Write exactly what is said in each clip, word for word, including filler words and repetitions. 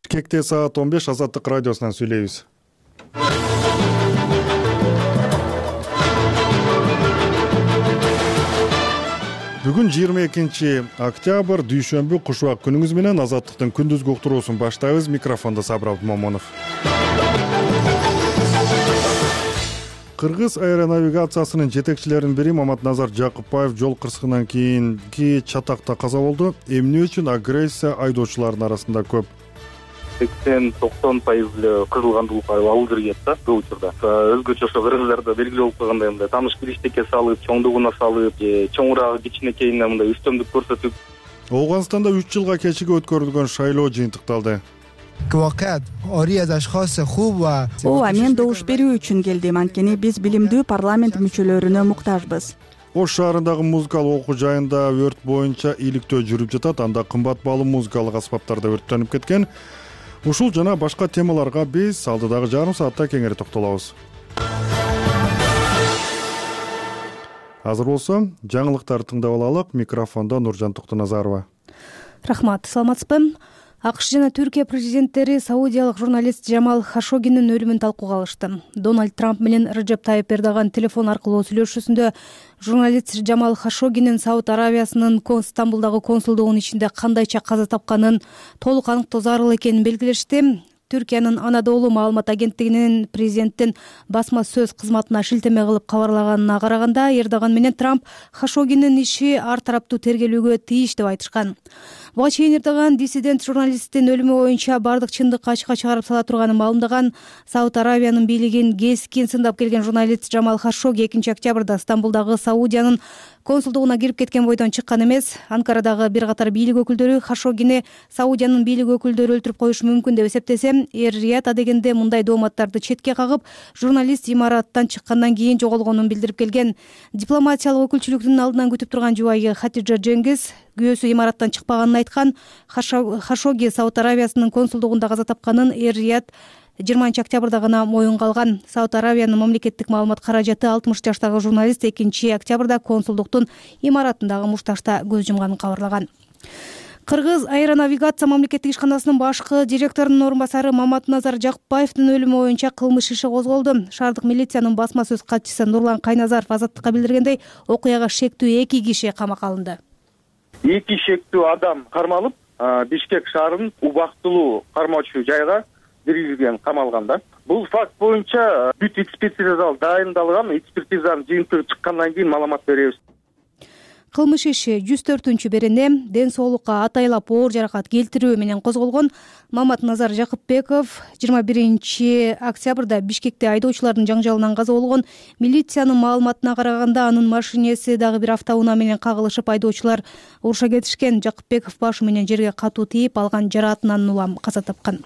Бишкекте саат он беш Азаттык радиосунан сүйлөйбүз. Бүгүн жыйырма экинчи октябрь дүйшөмбү кушубак күнүңүз менен Азаттыктын күндүзгү уктуруусун баштайбыз. Микрофондо Сабыр Абдумомунов. Кыргыз аэронавигациясынын жетекчилеринин бири Маматназар Жакыпбаев жол кырсыгынан кийинки чатакта каза болду. Эмне үчүн агрессия айдоочулардын арасында көп? сексен токсон пайыз эле кызылгандуулук алып жүргөн да бул учурда. Өзгөчө ошо кыргыздарда белгилүү болуп калгандай мындай тааныш кириштекке салып, чоңдугуна салып, же чоңураагы кичинекейине мындай үстөмдүк көрсөтүп. Ооганстанда үч жылга кечиги өткөрүлгөн шайлоо жыйынтыкталды. Ооба, мен добуш берүү үчүн келдим, анткени биз билимдүү парламент мүчөлөрүнө муктажбыз. Ош шаарындагы музыкалык окуу жайында өрт боюнча иликтөө жүрүп жатат. Анда кымбат баалуу музыкалык аспаптар да өрттөнүп кеткен. Ушул жана башка темаларга биз алдыдагы жарым саатта кеңири токтолобуз. Азыр болсо жаңылыктарды тыңдап алалык. Микрофондо Нуржан Токтоназарова. Рахмат, саламатсызбы? АКШ жана Түркия президенттери саудиялык журналист Жамал Хашогинин өлүмүн талкууга алышты. Дональд Трамп менен Режеп Тайип Эрдоган телефон аркылуу сүйлөшүүсүндө журналист Жамал Хашогинин Сауд Аравиясынын Стамбулдагы консулдугунун ичинде кандайча каза тапканын толук аныктоо зарыл экенин белгилешти. Түркиянын Анадолу маалымат агенттигинин президенттин басма сөз кызматына шилтеме кылып кабарлаганына караганда, Эрдоган менен Трамп Хашогинин иши ар тараптуу тергелүүгө тийиш деп айтышкан. Буга чейин Эрдоган диссидент журналисттин өлүмү боюнча бардык чындыкты ачыкка чыгарып сала турганын маалымдаган. Сауд Аравиянын бийлигин кескин сындап келген журналист Жамал Хашоги экинчи октябрда Стамбулдагы Саудиянын консулдугуна кирип кеткен бойдон чыккан эмес. Анкарадагы бир катар бийлик өкүлдөрү Хашогини Саудиянын бийлик өкүлдөрү өлтүрүп коюшу мүмкүн деп эсептесе, Эр-Рияд адегенде мындай дооматтарды четке кагып, журналист имараттан чыккандан кийин жоголгонун билдирип келген. Дипломатиялык өкүлчүлүктүн алдынан күтүп турган жубайы Хатиджа Жеңгиз күйөөсү имараттан чыкпаганын айткан. Хашоги Сауд Аравиясынын консулдугунда каза тапканын Эр-Рияд жыйырманчы октябрда гана моюнга алган. Сауд Аравиянын мамлекеттик маалымат каражаты алтымыш жаштагы журналист экинчи октябрда консулдуктун имаратындагы мушташта көз жумганын кабарлаган. Кыргыз аэронавигация мамлекеттик ишканасынын башкы директорунун орун басары Маматназар Жакыпбаевдин өлүмү боюнча кылмыш иши козголду. Шаардык милициянын басма сөз катчысы Нурлан Кайназаров Азаттыкка билдиргендей, окуяга шектүү эки киши камакка алынды. Эки шектүү адам кармалып, Бишкек шаарынын убактылуу кармоочу жайга биргизген, камалган да. Бул факт боюнча бүт экспертиза дайындалган, экспертизанын жыйынтыгы чыккандан кийин маалымат беребиз. Кылмыш иши жүз төртүнчү берене ден соолукка атайлап оор жаракат келтирүү менен козголгон. Маматназар Жакыпбеков жыйырма биринчи октябрда Бишкекте айдоочулардын жаңжалынан каза болгон. Милициянын маалыматына караганда, анын машинеси дагы бир автоунаа менен кагылышып, айдоочулар уруша кетишкен. Жакыпбеков башы менен жерге катуу тийип, алган жараатынан улам каза тапкан.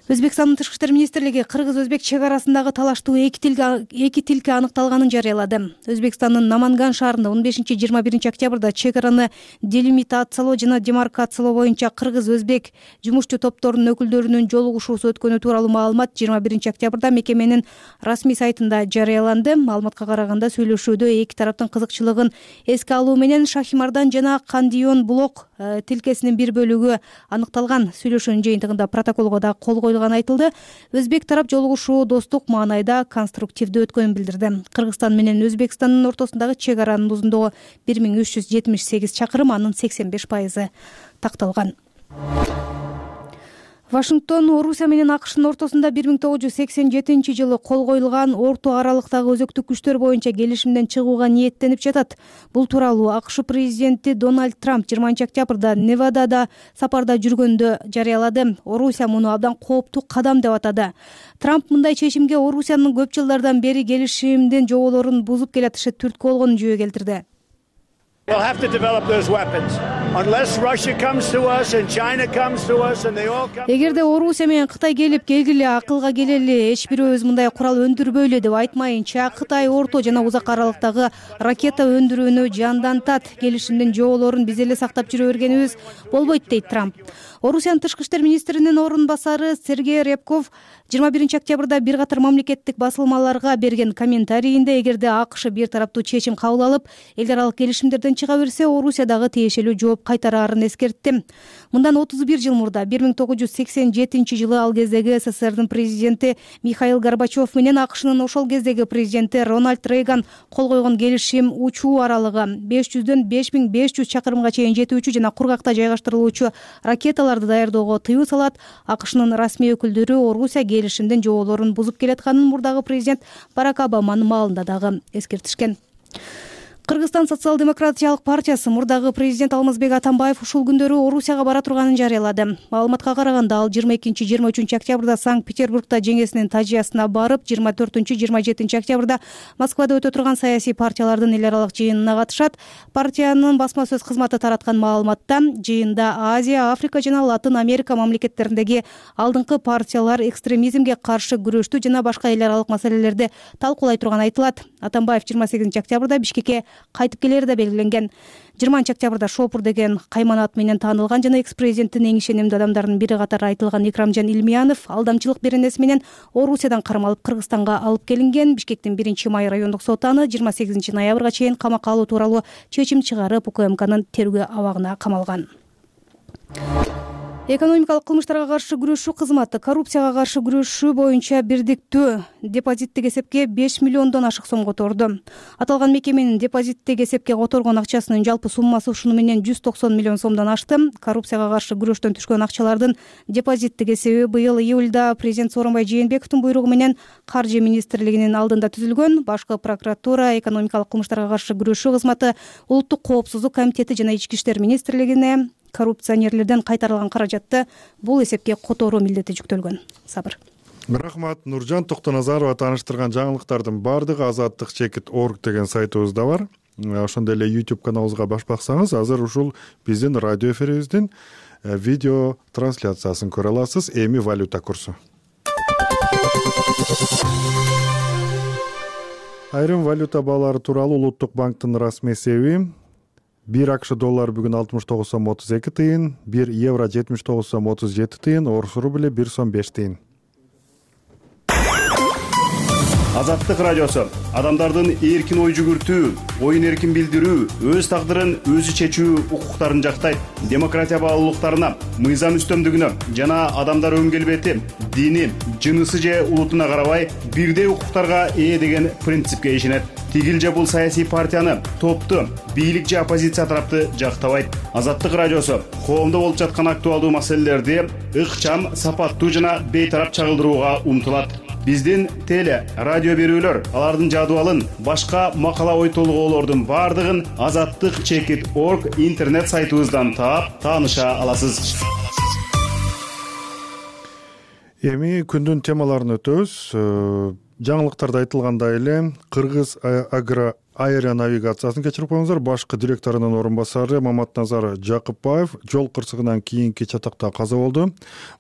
Өзбекстандын тышкы иштер министрлиги кыргыз-өзбек чек арасындагы талаштуу эки тилке аныкталганын жарыялады. Өзбекстандын Наманган шаарында он бешинчи жыйырма биринчи октябрда чек араны делимитациялоо жана демаркациялоо боюнча кыргыз-өзбек жумушчу топторунун өкүлдөрүнүн жолугушуусу өткөнү тууралуу маалымат жыйырма биринчи октябрда мекеменин расмий сайтында жарыяланды. Маалыматка караганда, сүйлөшүүдө эки тараптын кызыкчылыгын эске алуу менен Шахимардан жана Кандион блок тилкесинин бир бөлүгү аныкталган. Сүйлөшүүнүн жыйынтыгында протоколго да кол коюлган айтылды. Өзбек тарап жолугушуу достук маанайда конструктивдүү өткөнүн билдирди. Кыргызстан менен Өзбекстандын ортосундагы чек аранын узундугу бир миң үч жүз жетимиш сегиз чакырым, анын сексен беш пайызы такталган. Вашингтон Орусия менен АКШнын ортосунда бир миң тогуз жүз сексен жетинчи жылы кол коюлган орто аралыктагы өзөктүк күчтөр боюнча келишимден чыгууга ниеттенип жатат. Бул тууралуу АКШ президенти Дональд Трамп жыйырманчы октябрда Невадада сапарда жүргөндө жарыялады. Орусия муну абдан кооптуу кадам деп атады. Трамп мындай чечимге Орусиянын көп жылдардан бери келишимдин жоболорун бузуп келатышы түрткү болгонун жөө келтирди. We'll have to develop those weapons. Unless Russia comes to us and China comes to us and they all come. Эгерде Орусия менен Кытай келип келгиле, акылга келели, эч бирөөбүз мындай курал өндүрбөйлү деп айтмайынча, Кытай орто жана узак аралыктагы ракета өндүрүүнү жандантат. Келишимдин жоболорун биз эле сактап жүрө бергенибиз болбойт, дейт Трамп. Орусиянын тышкы иштер министринин орун басары Сергей Рябков жыйырма биринчи октябрда бир катар мамлекеттик басылмаларга берген комментарийинде, эгерде АКШ бир тараптуу чечим кабыл алып, эл аралык келишимдерден чыга берсе, Орусиядагы тиешелүү жооп кайтараарын эскертти. Мындан отуз бир жыл мурда бир миң тогуз жүз сексен жетинчи жылы ал кездеги СССРдин президенти Михаил Горбачев менен АКШнын ошол кездеги президенти Рональд Рейган кол койгон келишим учуу аралыгы беш жүздөн беш миң беш жүз чакырымга чейин жетүүчү жана кургакта жайгаштырылуучу ракеталарды даярдоого тыюу салат. АКШнын расмий өкүлдөрү Орусия келишимдин жоболорун бузуп келатканын мурдагы президент Барак Обаманын маалында дагы эскертишкен. Кыргызстан социал-демократиялык партиясы мурдагы президент Алмазбек Атамбаев ушул күндөрү Орусияга бара турганын жарыялады. Маалыматка караганда ал жыйырма экинчи жыйырма үчүнчү октябрда Санкт-Петербургда жеңесинин тажыясына барып, жыйырма төртүнчү жыйырма жетинчи октябрда Москвада өтө турган саясий партиялардын эл аралык жыйынына катышат. Партиянын басма сөз кызматы тараткан маалыматта жыйында Азия, Африка жана Латын Америка мамлекеттериндеги алдыңкы партиялар экстремизмге каршы күрөштү жана башка эл аралык маселелерди талкуулай турганы айтылат. Атамбаев жыйырма сегизинчи октябрда Бишкекке кайтып келери да белгиленген. жыйырманчы октябрда Шопур деген кайманат менен таанылган жана экс-президенттин эң ишенимдүү адамдарынын бири катары айтылган Икрамжан Илмиянов алдамчылык беренеси менен Орусиядан кармалып Кыргызстанга алып келинген. Бишкектин биринчи май райондук соту аны жыйырма сегизинчи ноябрга чейин камакка алуу тууралуу чечим чыгарып, УКМКнын тергөө абагына камалган. Экономикалык кылмыштарга каршы күрөшүү кызматы коррупцияга каршы күрөшүү боюнча бирдиктүү депозиттик эсепке беш миллиондон ашык сом которду. Аталган мекеменин депозиттик эсепке которгон акчасынын жалпы суммасы ушуну менен жүз токсон миллион сомдон ашты. Коррупцияга каршы күрөштөн түшкөн акчалардын депозиттик эсеби быйыл июлда президент Сооронбай Жээнбековдун буйругу менен Каржы министрлигинин алдында түзүлгөн. Башкы прокуратура, экономикалык кылмыштарга каршы күрөшүү кызматы, Улуттук коопсуздук комитети жана Ички иштер министрлигине коррупционерлерден кайтарылган каражатты бул эсепке которуу милдети жүктөлгөн. Сабыр. Рахмат. Нуржан Токтоназарова тааныштырган жаңылыктардын баардыгы азаттык чекит точка орг деген сайтыбызда бар. Ошондой эле YouTube каналыбызга баш баксаңыз, азыр ушул биздин радио эфирибиздин видео трансляциясын көрө аласыз. Эми валюта курсу. Айрым валюта баалары тууралуу Улуттук банктын расмий эсеби: бир АКШ доллар бүгүн алтымыш тогуз сом отуз эки тыйын, бир евро жетимиш тогуз сом отуз жети тыйын, орус рубли бир сом беш тыйын. Азаттык радиосу адамдардын эркин ой жүгүртүү, оюн эркин билдирүү, өз тагдырын өзү чечүү укуктарын жактайт. Демократия баалуулуктарына, мыйзам үстөмдүгүнө жана адамдар өн келбети, дини, жынысы же улутуна карабай бирдей укуктарга ээ деген принципке ишенет. Тигил же бул саясий партияны, топту, бийлик же оппозиция тарапты жактабайт. Азаттык радиосу коомдо болуп жаткан актуалдуу маселелерди ыкчам, сапаттуу жана бейтарап чагылдырууга умтулат. Биздин теле, радио берүүлөр, алардын жадыбалын, башка макала ой толгоолордун баардыгын азаттык чекит точка орг интернет сайтыбыздан таап, тааныша аласыз. Эми күндүн темаларын өтөбүз. Жаңылыктарда айтылгандай эле Кыргыз агро аэронавигациясын кечирип коюңуздар. Башкы директорунун орун басары Маматназар Жакыпбаев жол кырсыгынан кийинки чатакта каза болду.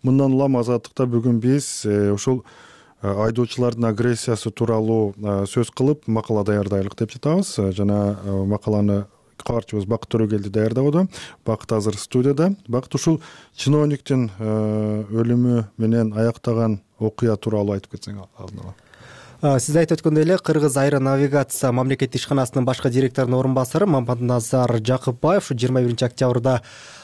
Мындан улам азаттыкта бүгүн биз ушул айдоочулардын агрессиясы тууралуу сөз кылып макала даярдайлык деп жатабыз. Жана макаланы кабарчыбыз Бакыт Төрөгелди даярдабады. Бакыт азыр студияда. Бакыт, ушул чиновниктин өлүмү менен аяктаган окуя тууралуу айтып кетсең алдын ала. Сиз айтып өткөндөй эле Кыргыз аэронавигация мамлекеттик ишканасынын башкы директорунун орун басары Маматназар Жакыпбаев жыйырма биринчи октябрда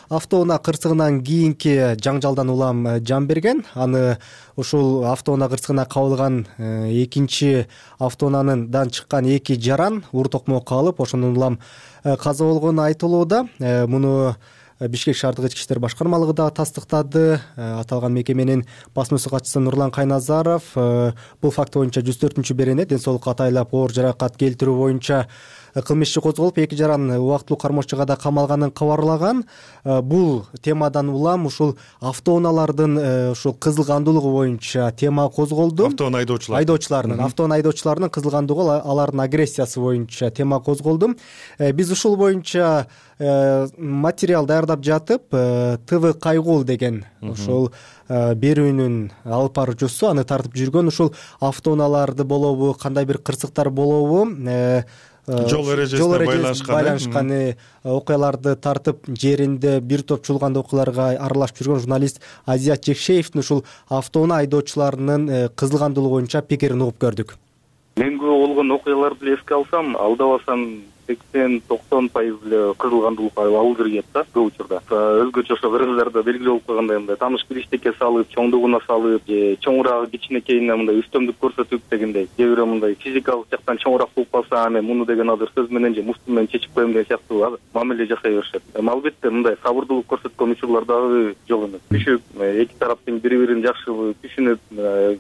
автоунаа кырсыгынан кийинки жаңжалдан улам жан берген. Аны ушул автоунаа кырсыгына кабылган экинчи автоунаандан чыккан эки жаран уур токмокко алып, ошондон улам каза болгону айтылууда. Муну Бишкек шаардык ички иштер башкармалыгы да тастыктады. Аталган мекеменин басма сөз катчысы Нурлан Кайназаров бул факт боюнча жүз төртүнчү берене ден соолукка атайлап оор жаракат келтирүү боюнча кылмыш иши козголуп, эки жаран убактылуу кармоочуга да камалганын кабарлаган. Бул темадан улам ушул автоунаалардын ушул кызылгандуулугу боюнча тема козголду. Автоунаа айдоочулар айдоочулардын автоунаа айдоочуларынын кызылгандуулугу, алардын агрессиясы боюнча тема козголду. Биз ушул боюнча материал даярдап жатып, ТВ Кайгул деген ушул берүүнүн алып баруучусу аны тартып жүргөн, ушул автоунааларды болобу, кандай бир кырсыктар болобу, жол эрежесине байланышкан окуяларды тартып жеринде бир топ чуулган окуяларга аралашып жүргөн журналист Азият Жекшеевдин ушул автоунаа айдоочуларынын кызылгандуулугу боюнча пикирин угуп көрдүк. Мен көп болгон окуяларды эле эске алсам, алдабасам сексен токсон пайыз эле кызыл кандуулукка ал киргет да көп учурда. Өзгөчө ошо кыргыздарда белгилүү болуп калгандай мындай таныш билиштекке салып, чоңдугуна салып, же чоңураагы кичинекейине мындай үстөмдүк көрсөтүп дегендей. Же бирөө мындай физикалык жактан чоңураак болуп калса, аны муну деген азыр сөз менен же мушту менен чечип коем деген сыяктуу мамиле жасай беришет. Албетте мындай сабырдуулук көрсөткөн учурлар дагы жок эмес. Түшүп, эки тараптын бири-бирин жакшы түшүнүп,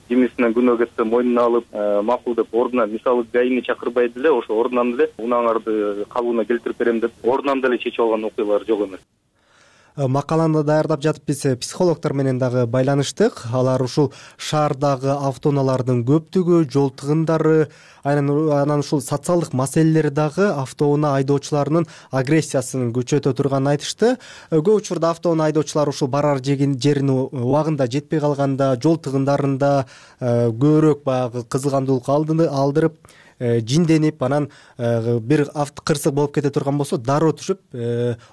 кимисинен күнөө кетсе мойнуна алып, макул деп ордунан, мисалы гаини чакырбай деле ошо ордунан деле унааңарды калыбына келтирип берем деп ордунан деле чечип алган окуялар жок эмес. Макаланы даярдап жатып биз психологдор менен дагы байланыштык. Алар ушул шаардагы автоунаалардын көптүгү, жол тыгындары, анан ушул социалдык маселелери дагы автоунаа айдоочуларынын агрессиясын күчөтө турганын айтышты. Көп учурда автоунаа айдоочулар ушул барар жерине убагында жетпей калганда, жол тыгындарында көбүрөөк баягы кызыл кандуулук алдырып, жинденип, анан бир кырсык болуп кете турган болсо дароо түшүп,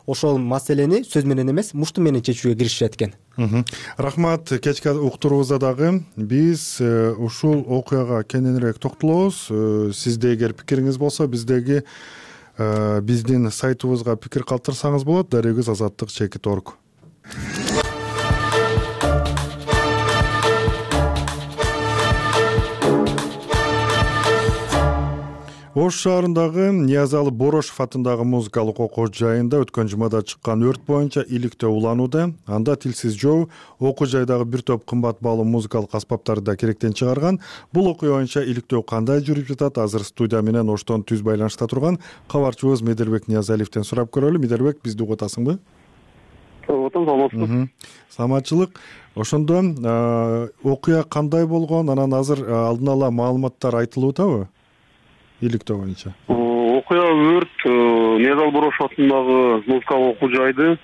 ошол маселени сөз менен эмес, мушту менен чечүүгө киришет экен. Рахмат. Кечки уктуруубузда дагы биз ушул окуяга кененирээк токтолобуз. Сизде эгер пикириңиз болсо, биздеги биздин сайтыбызга пикир калтырсаңыз болот. Дарегиз азаттык чекит точка орг. Ош шаарындагы Ниязалы Борошев атындагы музыкалык окуу жайында өткөн жумада чыккан өрт боюнча иликтөө уланууда. Анда тилсиз жоо окуу жайдагы бир топ кымбат баалуу музыкалык аспаптарды да керектен чыгарган. Бул окуя боюнча иликтөө кандай жүрүп жатат? Азыр студия менен Оштон түз байланышта турган кабарчыбыз Медербек Ниязалиевден сурап көрөлү. Медербек, бизди угуп атасыңбы? Угуп атам, саламатсызбы? Саламатчылык. Ошондо окуя кандай болгон? Анан азыр алдын ала маалыматтар айтылуутабы? Иликтөө боюнча. Окуя өрт Ниязалы Борошев атындагы музыкалык окуу жайды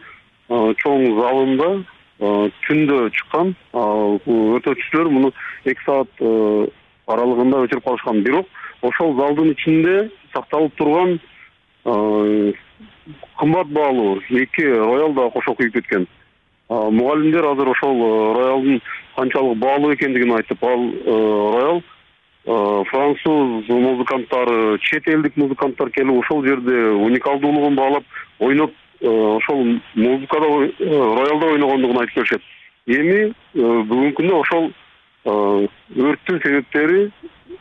чоң залында түндө чыккан. Өртөөчүлөр муну эки саат аралыгында өчүрүп калышкан. Бирок ошол залдын ичинде сакталып турган кымбат баалуу эки роял да кошо күйүп кеткен. Мугалимдер азыр ошол роялдын канчалык баалуу экендигин айтып, ал роял француз музыканттары, чет элдик музыканттар келип ошол жерде уникалдуулугун баалап, ойноп, ошол музыкада, роялда ойногондугун айтып беришет. Эми бүгүнкү күндө ошол өрттүн себептери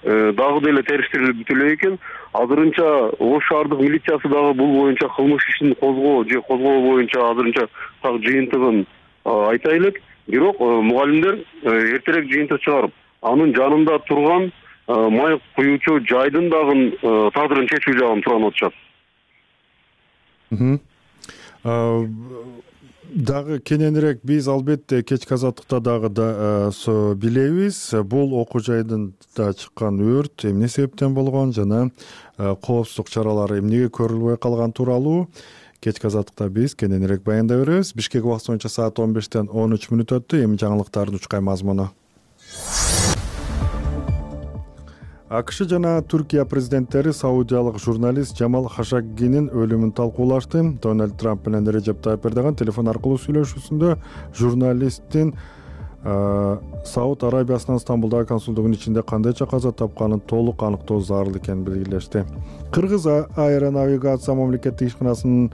дагы деле териштирилип бүтө элек экен. Азырынча Ош шаардык милициясы дагы бул боюнча кылмыш ишин козгоо же козгоо боюнча азырынча так жыйынтыгын айта элек. Бирок мугалимдер эртерээк жыйынтык чыгарып, анын жанында турган май куюучу жайдын дагы тагдырын чечүү жагын туранып атышат. Дагы кененирээк биз албетте кечки азаттыкта дагы да билебиз. Бул окуу жайдында чыккан өрт эмне себептен болгон жана коопсуздук чаралары эмнеге көрүлбөй калган тууралуу кечки азаттыкта биз кененирээк баяндай беребиз. Бишкек убакыты боюнча саат он бештен он үч мүнөт өттү. Эми жаңылыктардын учкай мазмуну. АКШ жана Түркия президенттери саудиялык журналист Жамал Хашоггинин өлүмүн талкуулашты. Дональд Трамп менен Режеп Тайып Эрдоган телефон аркылуу сүйлөшүүсүндө журналисттин Сауд Арабиясынын Стамбулдагы консулдугунун ичинде кандайча каза тапканын толук аныктоо зарыл экенин белгилешти. Кыргыз аэронавигация мамлекеттик ишканасынын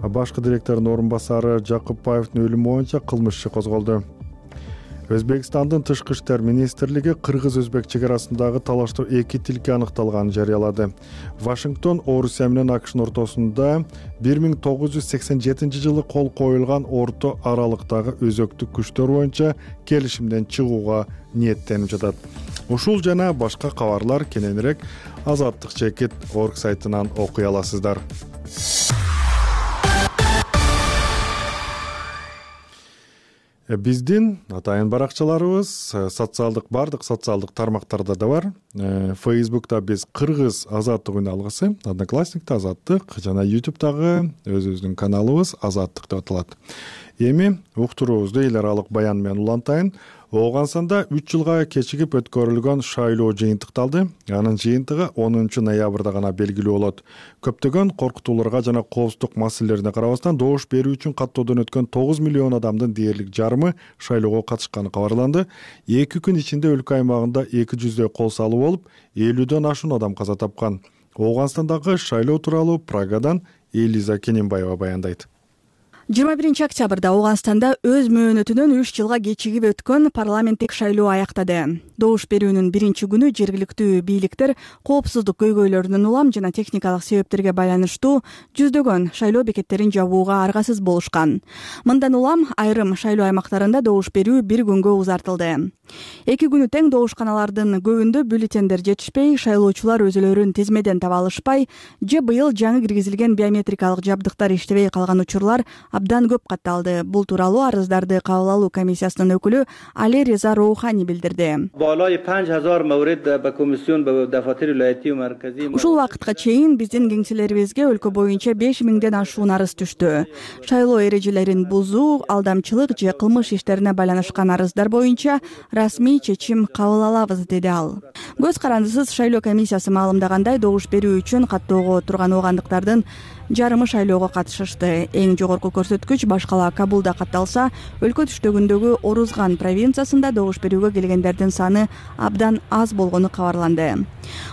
башкы директорунун орун басары Жакыпбаевдин өлүмү боюнча кылмыш иши козголду. Өзбекстандын тышкы иштер министрлиги кыргыз-өзбек чек арасындагы талашта эки тилке аныкталганын жарыялады. Вашингтон Орусия менен АКШнын ортосунда бир миң тогуз жүз сексен жетинчи жылы кол коюлган орто аралыктагы өзөктүк күчтөр боюнча келишимден чыгууга ниеттенип жатат. Ушул жана башка кабарлар кененирээк азаттык чекит точка орг сайтынан окуй аласыздар. Биздин атайын баракчаларыбыз социалдык бардык социалдык тармактарда да бар. Facebook'та биз Кыргыз азаттык үн алгысы, Одноклассникта азаттык жана YouTube'дагы өзүбүздүн каналыбыз азаттык деп аталат. Эми уктуруубузду эл аралык баян менен улантайын. Оогансанда үч жылга кечигип өткөрүлгөн шайлоо жыйынтыкталды. Анын жыйынтыгы онунчу ноябрда гана белгилүү болот. Көптөгөн коркутууларга жана коопсуздук маселелерине карабастан добуш берүү үчүн каттоодон өткөн тогуз миллион адамдын дээрлик жарымы шайлоого катышканы кабарланды. эки күн ичинде өлкө аймагында эки жүздөй кол салуу болуп, элүүдөн ашуун адам каза тапкан. Ооганстандагы шайлоо тууралуу Прагадан Элиза Кененбаева баяндайт. жыйырма биринчи октябрда Ооганстанда өз мөөнөтүнөн үч жылга кечигип өткөн парламенттик шайлоо аяктады. Добуш берүүнүн биринчи күнү жергиликтүү бийликтер коопсуздук көйгөйлөрүнөн улам жана техникалык себептерге байланыштуу жүздөгөн шайлоо бекеттерин жабууга аргасыз болушкан. Мындан улам айрым шайлоо аймактарында добуш берүү бир күнгө узартылды. Эки күнү тең добушканалардын көбүндө бюллетендер жетишпей, шайлоочулар өзүлөрүн тизмеден таба алышпай же быйыл жаңы киргизилген биометрикалык жабдыктар иштебей калган учурлар абдан көп катталды. Бул тууралуу арыздарды кабыл алуу комиссиясынын өкүлү Али Реза Роухани билдирди. Ушул убакытка чейин биздин кеңселерибизге өлкө боюнча беш миңден ашуун арыз түштү. Шайлоо эрежелерин бузуу, алдамчылык же кылмыш иштерине байланышкан арыздар боюнча расмий чечим кабыл алабыз, деди ал. Көз карандысыз шайлоо комиссиясы маалымдагандай, добуш берүү үчүн каттоого турган оогандыктардын жарымы шайлоого катышышты. Эң жогорку көрсөткүч башкала Кабулда катталса, өлкө түштөгүндөгү Орузган провинциясында добуш берүүгө келгендердин саны абдан аз болгону кабарланды.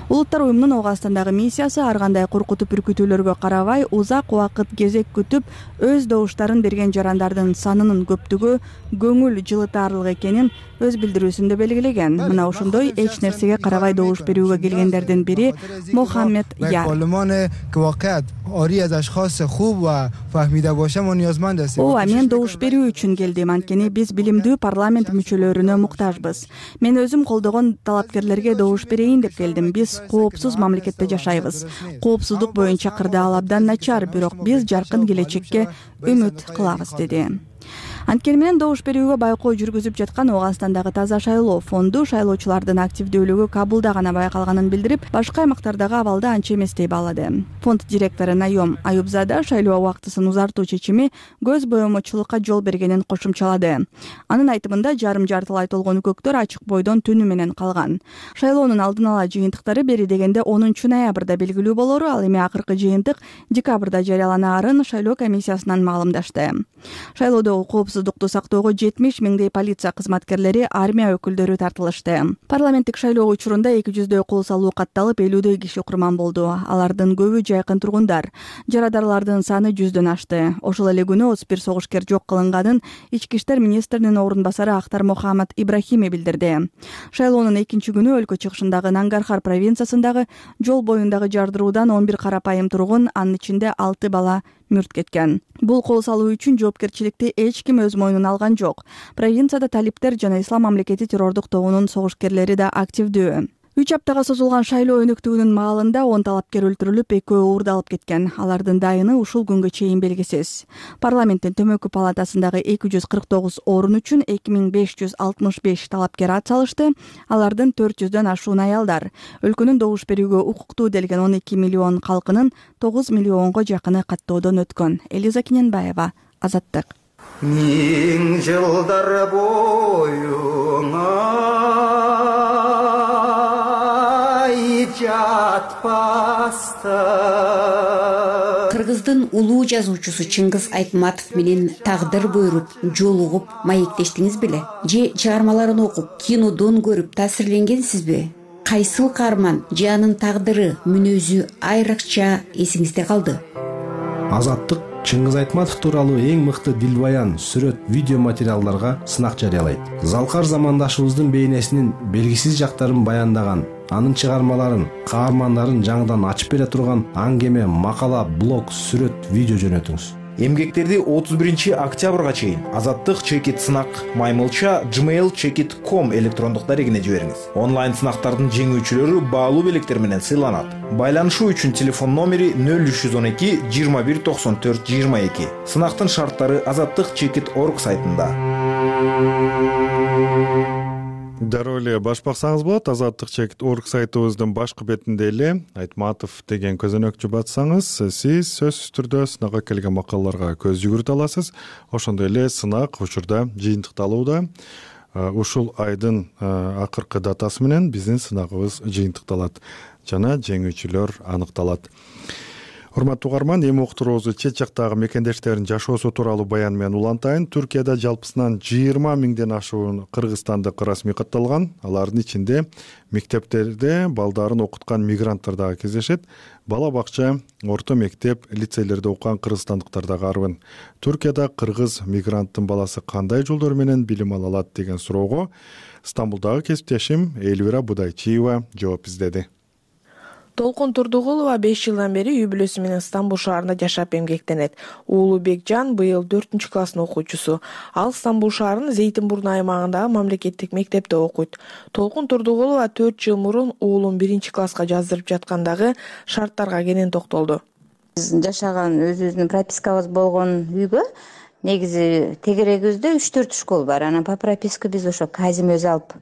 Улуттар уюмунун Ооганстандагы миссиясы ар кандай коркутуп үркүтүүлөргө карабай, узак убакыт кезек күтүп, өз добуштарын берген жарандардын санынын көптүгү көңүл жылытаарлык экенин өз билдирүүсүндө белгилеген. Мына ошондой эч нерсеге карабай добуш берүүгө келгендердин бири Мохаммед Яр. Ооба, мен добуш берүү үчүн келдим, анткени биз билимдүү парламент мүчөлөрүнө муктажбыз. Мен өзүм колдогон талапкерлерге добуш берейин деп келдим. Биз коопсуз мамлекетте жашайбыз. Коопсуздук боюнча кырдаал абдан начар, бирок биз жаркын келечекке үмүт кылабыз, деди. Анткени менен добуш берүүгө байкоо жүргүзүп жаткан Ооганстандагы Таза шайлоо фонду шайлоочулардын активдүүлүгү Кабулда гана байкалганын билдирип, башка аймактардагы абалды анча эмес деп баалады. Фонд директору Найом Аюбзада шайлоо убактысын узартуу чечими көз боемочулукка жол бергенин кошумчалады. Анын айтымында жарым жартылай толгон көктөр ачык бойдон түнү менен калган. Шайлоонун алдын ала жыйынтыктары бери дегенде онунчу ноябрда белгилүү болору, ал эми акыркы жыйынтык декабрда жарыяланаарын шайлоо комиссиясынан маалымдашты. Шайлоодогу коопсуздукту сактоого жетимиш миңдей полиция кызматкерлери, армия өкүлдөрү тартылышты. Парламенттик шайлоо учурунда эки жүздөй кол салуу катталып, элүүдөй киши курман болду. Алардын көбү жайкын тургундар. Жарадарлардын саны жүздөн ашты. Ошол эле күнү отуз бир согушкер жок кылынганын ички иштер министринин орун басары Ахтар Мохаммад Ибрахими билдирди. Шайлоонун экинчи күнү өлкө чыгышындагы Нангархар провинциясындагы жол боюндагы жардыруудан он бир карапайым тургун, анын ичинде алты бала мүрт кеткен. Бул кол салуу үчүн жоопкерчиликти эч ким өз мойнуна алган жок. Провинцияда талиптер жана Ислам мамлекети террордук тобунун согушкерлери да активдүү. үч аптага созулган шайлоо өнүктүүнүн маалында он талапкер өлтүрүлүп, экөө уурдалып кеткен. Алардын дайыны ушул күнгө чейин белгисиз. Парламенттин төмөнкү палатасындагы эки жүз кырк тогуз орун үчүн эки миң беш жүз алтымыш беш талапкер ат салышты. Алардын төрт жүздөн ашуун аялдар. Өлкөнүн добуш берүүгө укуктуу делген он эки миллион калкынын тогуз миллионго жакыны каттоодон өткөн. Элиза Кененбаева, Азаттык. Миң жылдар боюңа Кыргыздын улуу жазуучусу Чыңгыз Айтматов менен тагдыр буйруп, жолугуп, маектештиңиз беле? Же чыгармаларын окуп, кинодон көрүп таасирленгенсизби? Кайсыл каарман же анын тагдыры, мүнөзү айрыкча эсиңизде калды? Азаттык Чыңгыз Айтматов тууралуу эң мыкты дилбаян, сүрөт, видео материалдарга сынак жарыялайт. Залкар замандашыбыздын бейнесинин белгисиз жактарын баяндаган, анын чыгармаларын, каармандарын жаңыдан ачып бере турган аңгеме, макала, блог, сүрөт, видео жөнөтүңүз. Эмгектерди отуз биринчи октябрга чейин Азаттык чекит сынак маймылча gmail чекит точка ком электрондук дарегине жибериңиз. Онлайн сынактардын жеңүүчүлөрү баалуу белектер менен сыйланат. Байланышуу үчүн телефон номери нөл үч жүз он эки жыйырма бир токсон төрт жыйырма эки. Сынактын шарттары азаттык чекит точка орг сайтында. Дароо эле баш баксаңыз болот. Азаттык чекит точка орг сайтыбыздын башкы бетинде эле Айтматов деген көзөнөкчү батсаңыз, сиз сөзсүз түрдө сынакка келген макалаларга көз жүгүртө аласыз. Ошондой эле сынак учурда жыйынтыкталууда. Ушул айдын акыркы датасы менен биздин сынагыбыз жыйынтыкталат жана жеңүүчүлөр аныкталат. урматтуу угарман, эми уктуруубузду чет жактагы мекендештердин жашоосу тууралуу баян менен улантайын. Түркияда жалпысынан жыйырма миңден ашуун кыргызстандык расмий катталган. Алардын ичинде мектептерде балдарын окуткан мигранттар дагы кездешет. Бала бакча, орто мектеп, лицейлерде окуган кыргызстандыктар дагы арбын. Түркияда кыргыз мигранттын баласы кандай жолдор менен билим ала алат деген суроого Стамбулдагы кесиптешим Эльвира Будайчиева жооп издеди. Толкун Турдугулова беш жылдан бери үй бүлөсү менен Стамбул шаарында жашап эмгектенет. Уулу Бекжан быйыл төртүнчү класстын окуучусу. Ал Стамбул шаарынын Зейтинбурну аймагындагы мамлекеттик мектепте окуйт. Толкун Турдугулова төрт жыл мурун уулун биринчи класска жаздырып жаткандагы шарттарга кенен токтолду. Биз жашаган өзүбүздүн пропискабыз болгон үйгө негизи тегерегибизде үч төрт школ бар. Анан по прописке биз ошо Казим өзү алып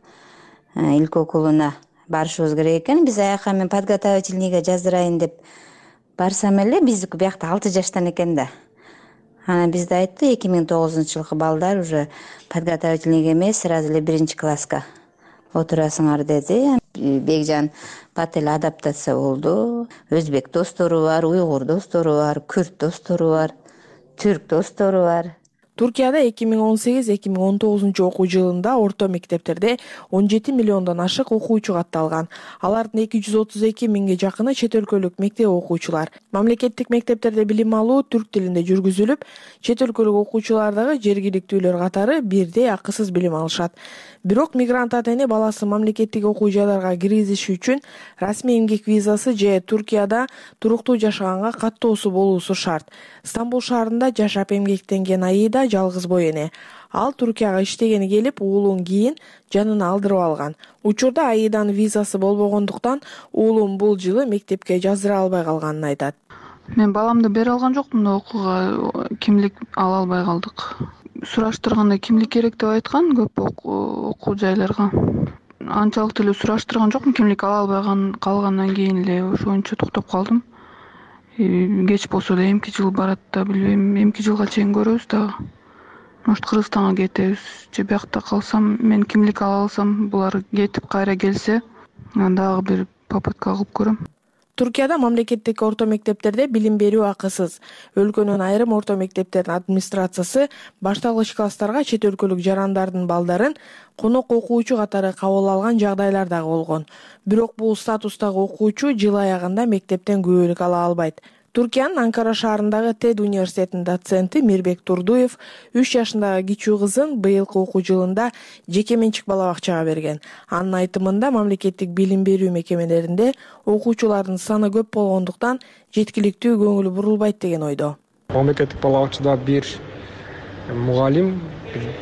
илк окулуна барышыбыз керек экен. Биз аяка мен подготовительныйга жаздырайын деп барсам эле биздики биякта алты жаштан экен да. Анан бизде айтты эки миң тогузунчу жылкы балдар уже подготовительныйга эмес, сразу эле биринчи класска отурасыңар деди. Бекжан бат эле адаптация болду. Өзбек достору бар, уйгур достору бар, күрд достору бар, түрк достору бар. Туркияда эки миң он сегиз эки миң он тогузунчу окуу жылында орто мектептерде он жети миллиондон ашык окуучу катталган. Алардын эки жүз отуз эки миңге жакыны чет өлкөлүк мектеп окуучулар. Мамлекеттик мектептерде билим алуу түрк тилинде жүргүзүлүп, чет өлкөлүк окуучулар дагы жергиликтүүлөр катары бирдей акысыз билим алышат. Бирок мигрант ата-эне баласын мамлекеттик окуу жайларга киргизиши үчүн расмий эмгек визасы же Туркияда туруктуу жашаганга каттоосу болуусу шарт. Стамбул шаарында жашап эмгектенген Аида жалгыз бой эне. Ал Туркияга иштегени келип, уулун кийин жанына алдырып алган. Учурда Аиданын визасы болбогондуктан уулум бул жылы мектепке жаздыра албай калганын айтат. Мен баламды бере алган жокмун да, окууга кимлик ала албай калдык. Сураштырганда кимлик керек деп айткан көп окуу жайларга. Анчалык эле сураштырган жокмун, кимлик ала албай калгандан кийин эле ошончо токтоп калдым. Кеч болсо да эмки жыл барат да, билбейм, эмки жылга чейин көрөбүз дагы. Может, Кыргызстанга кетебиз же биякта калсам, мен кимлик ала алсам, булар кетип кайра келсе, дагы бир попытка кылып көрөм. Туркияда мамлекеттик орто мектептерде билим берүү акысыз. Өлкөнүн айрым орто мектептеринин администрациясы башталгыч класстарга чет өлкөлүк жарандардын балдарын конок окуучу катары кабыл алган жагдайлар дагы болгон. Бирок бул статустагы окуучу жыл аягында мектептен күбөлүк ала албайт. Туркиянын Анкара шаарындагы Тед университетинин доценти Мирбек Турдуев үч жашындагы кичүү кызын быйылкы окуу жылында жеке менчик бала бакчага берген. Анын айтымында мамлекеттик билим берүү мекемелеринде окуучулардын саны көп болгондуктан жеткиликтүү көңүл бурулбайт деген ойдо. Мамлекеттик бала бакчада бир мугалим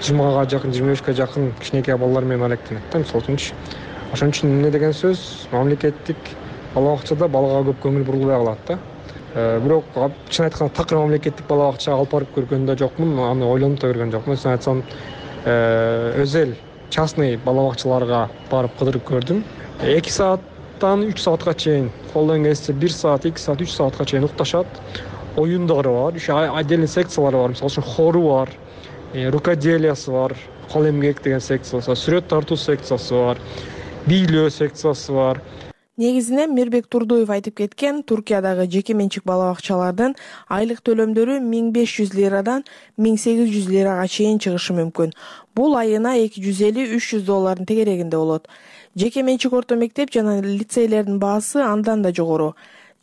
жыйырмага жакын, жыйырма бешке жакын кичинекей балдар менен алектенет да, мисалы үчүн. Ошон үчүн эмне деген сөз, мамлекеттик бала бакчада балага көп көңүл бурулбай калат да. Бирок чын айтканда такыр мамлекеттик бала бакчага алып барып көргөн да жокмун, аны ойлонуп да көргөн жокмун. Чын айтсам, өзел частный бала бакчаларга барып кыдырып көрдүм. эки сааттан үч саатка чейин, колдон келсе бир саат, эки саат, үч саатка чейин укташат. Оюндары бар, отдельный секциялары бар. Мисалы үчүн хору бар, рукоделиясы бар, кол эмгек деген секциясы, сүрөт тартуу секциясы бар, бийлөө секциясы бар. Негизинен Мирбек Турдуев айтып кеткен, Туркиядагы жеке менчик бала бакчалардын айлык төлөмдөрү миң беш жүз лирадан миң сегиз жүз лирага чейин чыгышы мүмкүн. Бул айына эки жүз элүү үч жүз доллардын тегерегинде болот. Жеке менчик орто мектеп жана лицейлердин баасы андан да жогору.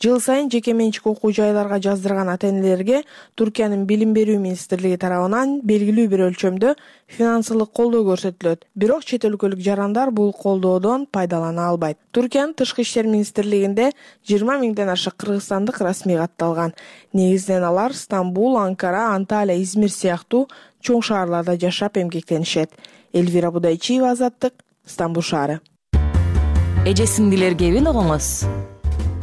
Жыл сайын жеке менчик окуу жайларга жаздырган ата-энелерге Туркиянын билим берүү министрлиги тарабынан белгилүү бир өлчөмдө финансылык колдоо көрсөтүлөт. Бирок чет өлкөлүк жарандар бул колдоодон пайдалана албайт. Туркиянын тышкы иштер министрлигинде жыйырма миңден ашык кыргызстандык расмий катталган. Негизинен алар Стамбул, Анкара, Анталия, Измир сыяктуу чоң шаарларда жашап эмгектенишет. Эльвира Будайчиева, Азаттык, Стамбул шаары. Эже сиңдилерге эбин огоңуз.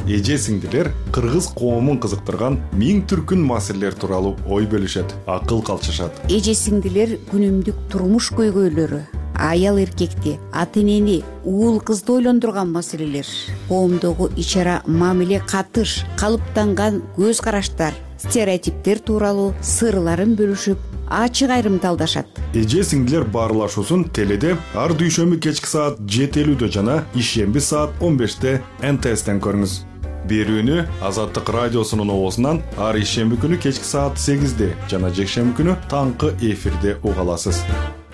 Эже сиңдилер кыргыз коомун кызыктырган миң түркүн маселелер тууралуу ой бөлүшөт, акыл калчышат. Эже сиңдилер күнүмдүк турмуш көйгөйлөрү, аял эркекти, ата-энени, уул кызды ойлондурган маселелер, коомдогу ич-ара мамиле, катыш, калыптанган көз караштар, стереотиптер тууралуу сырларын бөлүшүп, ачык айрымталдашат. Эже сиңдилер баарлашуусун теледе ар дүйшөмбү кечки саат жети элүүдө жана ишемби саат он беште эн тэ эстен көрүңүз. берүүнү Азаттык радиосунун обосунан ар ишемби күнү кечки саат сегизде жана жекшемби күнү таңкы эфирде уга аласыз.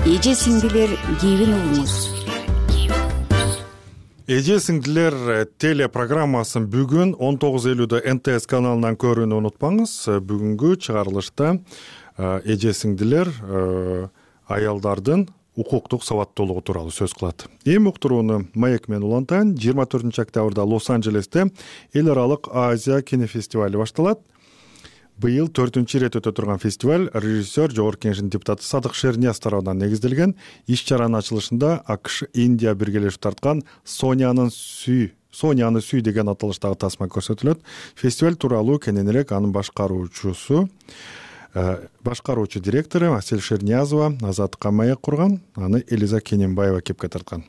Эже сиңдилер кийин угуңуз. Эже сиңдилер телепрограммасын бүгүн он тогуз элүүдө эн тэ эс каналынан көрүүнү унутпаңыз. Бүгүнкү чыгарылышта эже сиңдилер аялдардын укуктук сабаттуулугу тууралуу сөз кылат. Эми уктурууну маек менен улантайын. жыйырма төртүнчү октябрда Лос-Анджелесте эл аралык Азия кинофестивали башталат. Быйыл төртүнчү ирет өтө турган фестиваль режиссер, Жогорку Кеңештин депутаты Садык Шернияз тарабынан негизделген. Иш-чаранын ачылышында АКШ, Индия биргелешип тарткан Сонянын сүй, Соняны сүй деген аталыштагы тасма көрсөтүлөт. Фестиваль тууралуу кененирээк анын башкаруучусу, башкаруучу директору Асель Шерниязова Азаттыкка маек курган. Аны Элиза Кененбаева кепке тарткан.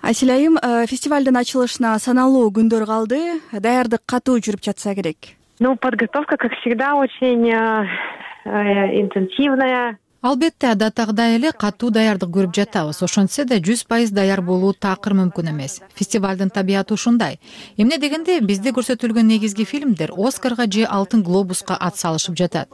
Асель айым, фестивалдын ачылышына саналуу күндөр калды. Даярдык катуу жүрүп жатса керек. Ну, подготовка, как всегда, очень э, э, интенсивная. Албетте адаттагыдай эле катуу даярдык көрүп жатабыз. Ошентсе да жүз пайыз даяр болуу такыр мүмкүн эмес. Фестивалдын табияты ушундай. Эмне дегенде бизде көрсөтүлгөн негизги фильмдер Оскарга же Алтын глобуска ат салышып жатат.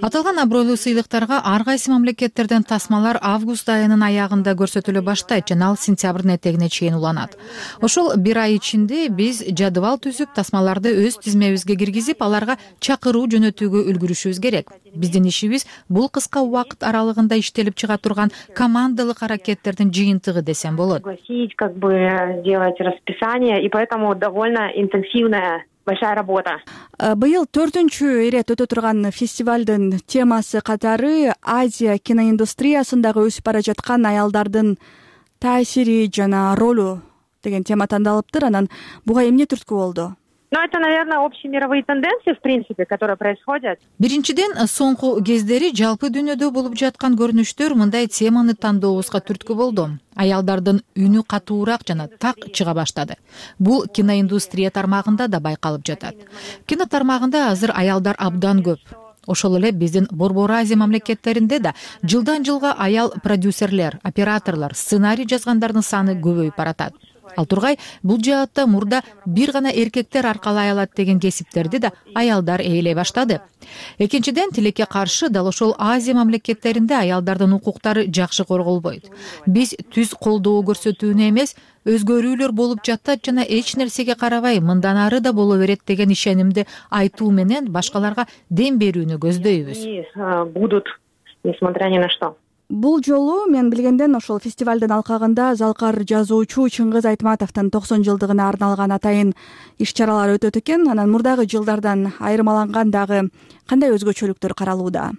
Аталган абройлуу сыйлыктарга ар кайсы мамлекеттерден тасмалар август айынын аягында көрсөтүлө баштайт жана ал сентябрдын этегине чейин уланат. Ошол бир ай ичинде биз жадыбал түзүп, тасмаларды өз тизмебизге киргизип, аларга чакыруу жөнөтүүгө үлгүрүшүбүз керек. Биздин ишибиз бул кыска убакыт аралыгында иштелип чыга турган командалык аракеттердин жыйынтыгы десем болот. Как бы делать расписание, и поэтому довольно интенсивная большая работа. Быйыл төртүнчү ирет өтө турган фестивалдын темасы катары Азия киноиндустриясындагы өсүп бара жаткан аялдардын таасири жана ролу деген тема тандалыптыр. Анан буга эмне түрткү болду? Ну, это, наверное, общие мировые тенденции, в принципе, которые происходят. Биринчиден, соңку кездери жалпы дүйнөдө болуп жаткан көрүнүштөр мындай теманы тандообузга түрткү болду. Аялдардын үнү катуураак жана так чыга баштады. Бул киноиндустрия тармагында да байкалып жатат. Кино тармагында азыр аялдар абдан көп. Ошол эле биздин Борбор Азия мамлекеттеринде да жылдан жылга аял продюсерлер, операторлор, сценарий жазгандардын саны көбөйүп баратат. Ал тургай бул жаатта мурда бир гана эркектер аркалай алат деген кесиптерди да аялдар ээлей баштады. Экинчиден, тилекке каршы дал ошол Азия мамлекеттеринде аялдардын укуктары жакшы корголбойт. Биз түз колдоо көрсөтүүнү эмес, өзгөрүүлөр болуп жатат жана эч нерсеге карабай мындан ары да боло берет деген ишенимди айтуу менен башкаларга дем берүүнү көздөйбүз. Будут, несмотря ни на что. Бул жолу мен билгенден ошол фестивалдын алкагында залкар жазуучу Чыңгыз Айтматовдун токсон жылдыгына арналган атайын иш-чаралар өтөт экен. Анан мурдагы жылдардан айырмаланган дагы кандай өзгөчөлүктөр каралууда?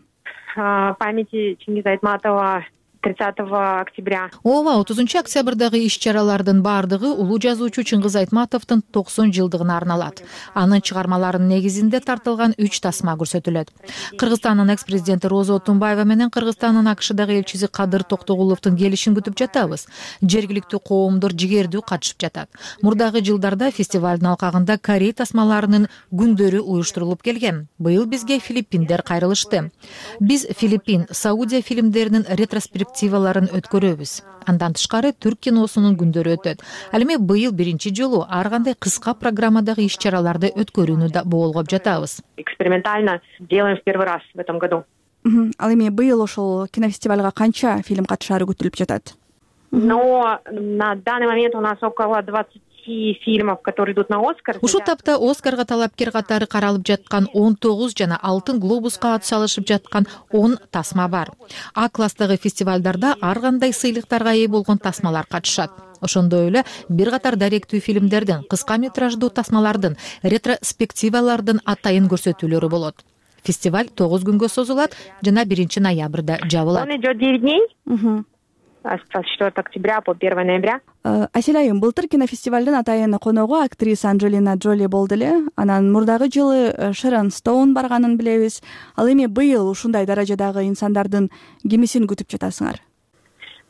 Памяти Чыңгыз Айтматова тридцатого октября. Ооба, отузунчу октябрдагы иш-чаралардын баардыгы улуу жазуучу Чыңгыз Айтматовдун токсон жылдыгына арналат. Анын чыгармаларынын негизинде тартылган үч тасма көрсөтүлөт. Кыргызстандын экс-президенти Роза Отунбаева менен Кыргызстандын АКШдагы элчиси Кадыр Токтогуловдун келишин күтүп жатабыз. Жергиликтүү коомдор жигердүү катышып жатат. Мурдагы жылдарда фестивалдын алкагында Корей тасмаларынын күндөрү уюштурулуп келген. Быйыл бизге Филиппиндер кайрылышты. Биз Филиппин, Саудия фильмдеринин ретроспективаларын өткөрөбүз. Андан тышкары түрк киносунун күндөрү өтөт. Ал эми быйыл биринчи жолу ар кандай кыска программадагы иш-чараларды өткөрүүнү да боолгоп жатабыз. Экспериментально делаем в первый раз в этом году. Ал эми быйыл ошол кинофестивалга канча фильм катышаары күтүлүп жатат? Но на данный момент у нас около двадцати фильмов, которые идут на Оскар. Ушул тапта Оскарга талапкер катары каралып жаткан он тогуз жана Алтын глобуска ат салышып жаткан он тасма бар. А класстагы фестивалдарда ар кандай сыйлыктарга ээ болгон тасмалар катышат. Ошондой эле бир катар даректүү фильмдердин, кыска метраждуу тасмалардын, ретроспективалардын атайын көрсөтүүлөрү болот. Фестиваль тогуз күнгө созулат жана биринчи ноябрда жабылат. Он идет девять дней. С четвёртого октября по первое ноября. Асель айым, былтыр кинофестивалдын атайын коногу актриса Анджелина Джоли болду эле. Анан мурдагы жылы Шерон Стоун барганын билебиз. Ал эми быйыл ушундай даражадагы инсандардын кимисин күтүп жатасыңар?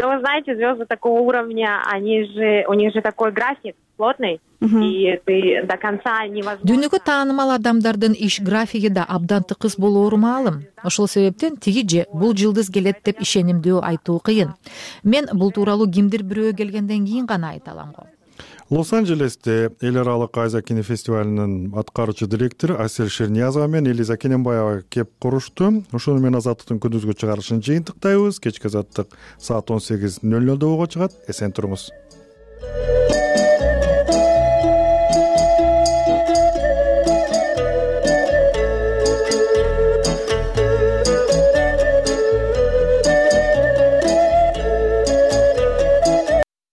Ну, вы знаете, звезды такого уровня, они же, у них же такой график плотный, и ты до конца невозможно. Дүйнөгө таанымал адамдардын иш графиги да абдан тыкыз болоору маалым. Ошол себептен тиги же бул жылдыз келет деп ишенимдүү айтуу кыйын. Мен бул тууралуу кимдир бирөө келгенден кийин гана айта алам го. Лос-Анджелесте эл аралык Азия кинофестивалынын аткаруучу директору Асель Шерниязова менен Элиза Кененбаева кеп курушту. Ошону менен Азаттыктын күндүзгү чыгарылышын жыйынтыктайбыз. Кечки Азаттык саат он сегиз нөл нөлдө ого чыгат. Эсен туруңуз.